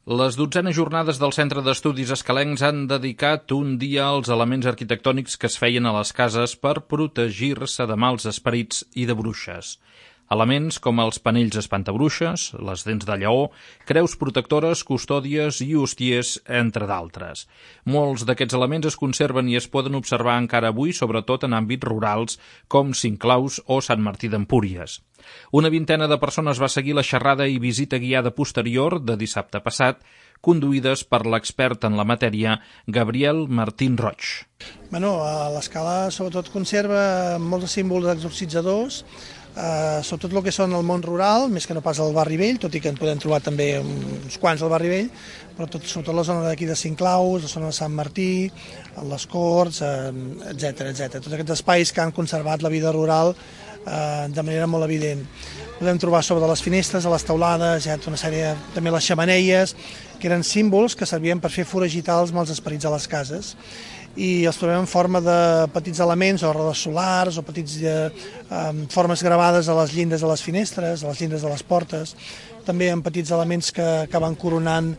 Les 12enes jornades del Centre d'Estudis Escalencs han dedicat un dia als elements arquitectònics que es feien a les cases per protegir-se de mals esperits i de bruixes. Elements com els panells espantabruixes, les dents de lleó, creus protectores, custòdies i hostiers, entre d'altres. Molts d'aquests elements es conserven i es poden observar encara avui, sobretot en àmbits rurals com Cinclaus o Sant Martí d'Empúries. Una vintena de persones va seguir la xerrada i visita guiada posterior de dissabte passat, conduïdes per l'expert en la matèria Gabriel Martín Roig. L'Escala sobretot conserva molts símbols exorcitzadors, sobretot el que són el món rural, més que no pas al barri vell, tot i que en podem trobar també uns quants al barri vell, però sobretot la zona d'aquí de Cinclaus, la zona de Sant Martí, les Corts, etc. Tots aquests espais que han conservat la vida rural de manera molt evident. Podem trobar sobre les finestres, a les teulades, hi ha una sèrie, també les xemeneies, que eren símbols que servien per fer foragitar els mals esperits a les cases. I els trobem en forma de petits elements, o rodes solars, o petits formes gravades a les llindes de les finestres, a les llindes de les portes, també en petits elements que van coronant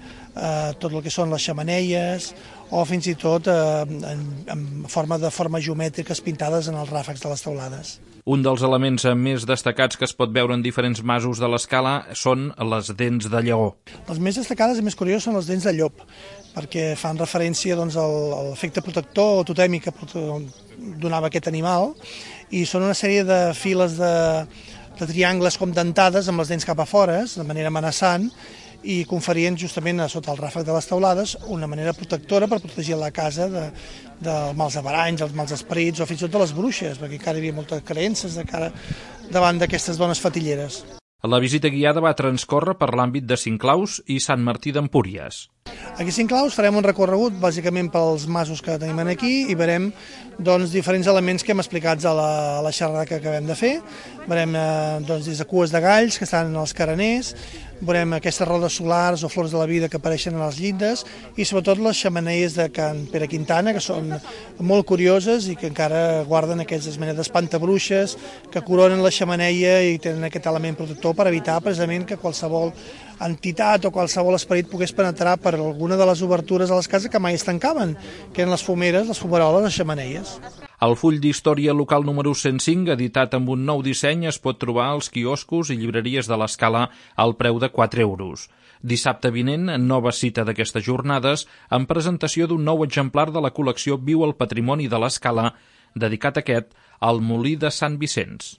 tot el que són les xemeneies, o fins i tot en forma de formes geomètriques pintades en els ràfecs de les teulades. Un dels elements més destacats que es pot veure en diferents masos de l'Escala són les dents de lleó. Les més destacades i més curioses són les dents de llop, perquè fan referència a l'efecte protector o totèmic que donava aquest animal, i són una sèrie de files de triangles com dentades amb les dents cap a fora, de manera amenaçant, i conferien justament a sota el ràfec de les teulades una manera protectora per protegir la casa dels mals avaranys, dels mals esperits o fins i tot de les bruixes, perquè encara hi havia moltes creences davant d'aquestes dones fatilleres. La visita guiada va transcórrer per l'àmbit de Cinclaus i Sant Martí d'Empúries. Aquí a Cinclaus farem un recorregut bàsicament pels masos que tenim aquí i veurem diferents elements que hem explicat a la xerrada que acabem de fer. Veurem des de cues de galls que estan als careners, veurem aquestes rodes solars o flors de la vida que apareixen a les llindes i sobretot les xemeneies de Can Pere Quintana, que són molt curioses i que encara guarden aquestes menes d'espantabruixes que coronen la xemeneia i tenen aquest element protector per evitar precisament que qualsevol entitat o qualsevol esperit pogués penetrar per alguna de les obertures a les cases que mai es tancaven, que eren les fumeres, les fumaroles, les xemeneies. El full d'història local número 105, editat amb un nou disseny, es pot trobar als quioscos i llibreries de l'Escala al preu de 4 euros. Dissabte vinent, nova cita d'aquestes jornades, amb presentació d'un nou exemplar de la col·lecció Viu el Patrimoni de l'Escala, dedicat aquest al Molí de Sant Vicenç.